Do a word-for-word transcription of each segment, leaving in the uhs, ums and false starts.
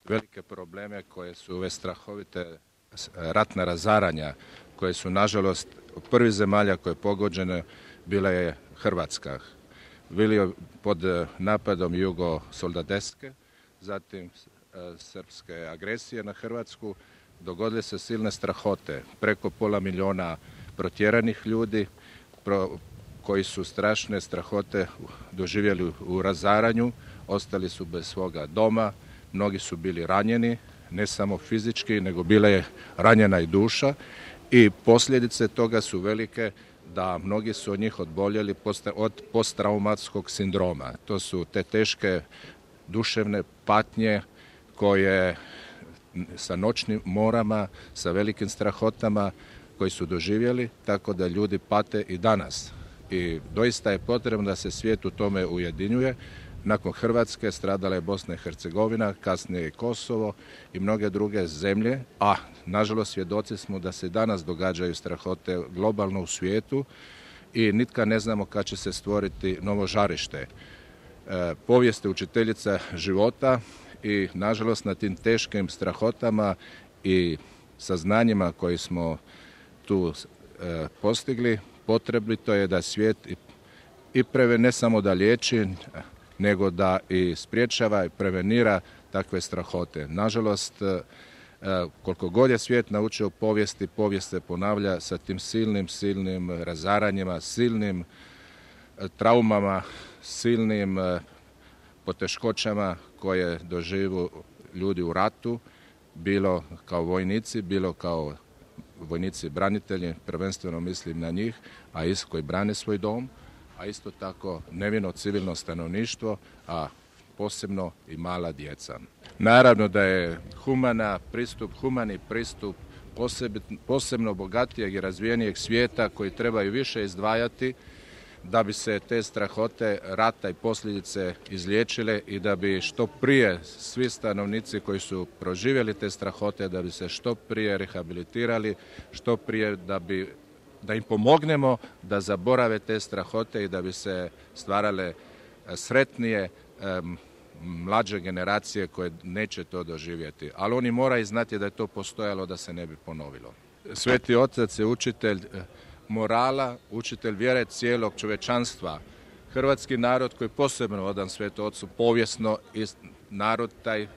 velike probleme koje su ove strahovite ratna razaranja, koje su nažalost prvi zemalja koje je pogođene bila je Hrvatska. Bili pod napadom Jugo Soldateske, zatim srpske agresije na Hrvatsku, dogodile se silne strahote, preko pola miliona protjeranih ljudi pro, koji su strašne strahote doživjeli u razaranju, ostali su bez svoga doma, mnogi su bili ranjeni, ne samo fizički, nego bila je ranjena i duša i posljedice toga su velike da mnogi su od njih odboljeli od posttraumatskog sindroma. To su te teške duševne patnje koje sa noćnim morama, sa velikim strahotama koji su doživjeli, tako da ljudi pate i danas. I doista je potrebno da se svijet u tome ujedinjuje. Nakon Hrvatske stradala je Bosna i Hercegovina, kasnije i Kosovo i mnoge druge zemlje, a nažalost svjedoci smo da se danas događaju strahote globalno u svijetu i nitka ne znamo kad će se stvoriti novo žarište. E, povijest je učiteljica života i nažalost na tim teškim strahotama i saznanjima koji smo tu e, postigli, potrebito je da svijet i, i preve, ne samo da liječi, nego da i spriječava i prevenira takve strahote. Nažalost, koliko god je svijet naučio povijesti, povijest se ponavlja sa tim silnim, silnim razaranjima, silnim traumama, silnim poteškoćama koje doživu ljudi u ratu, bilo kao vojnici, bilo kao vojnici branitelji, prvenstveno mislim na njih, a isto koji brane svoj dom, a isto tako nevino civilno stanovništvo, a posebno i mala djeca. Naravno da je humana pristup, humani pristup posebno bogatijeg i razvijenijeg svijeta koji trebaju više izdvajati da bi se te strahote rata i posljedice izliječile i da bi što prije svi stanovnici koji su proživjeli te strahote, da bi se što prije rehabilitirali, što prije da bi da im pomognemo da zaborave te strahote i da bi se stvarale sretnije mlađe generacije koje neće to doživjeti. Ali oni moraju znati da je to postojalo da se ne bi ponovilo. Sveti Otac je učitelj morala, učitelj vjere cijelog čovječanstva. Hrvatski narod koji je posebno odan Svetom Ocu povijesno i narod taj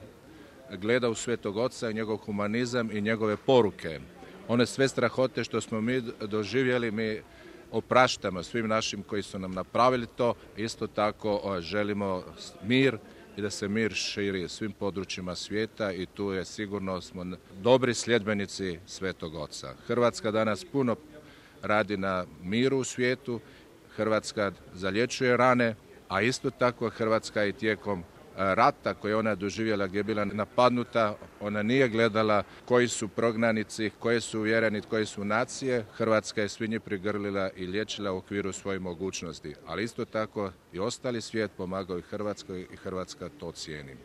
gleda u Svetog Oca i njegov humanizam i njegove poruke. One sve strahote što smo mi doživjeli, mi opraštamo svim našim koji su nam napravili to. Isto tako želimo mir i da se mir širi svim područjima svijeta i tu je sigurno smo dobri sljedbenici Svetog Oca. Hrvatska danas puno radi na miru u svijetu, Hrvatska zalječuje rane, a isto tako Hrvatska i tijekom rata koje ona doživjela gdje je bila napadnuta, ona nije gledala koji su prognanici, koji su uvjereni, koji su nacije. Hrvatska je svi njih prigrlila i liječila u okviru svojih mogućnosti. Ali isto tako i ostali svijet pomagao i Hrvatskoj i Hrvatska to cijeni.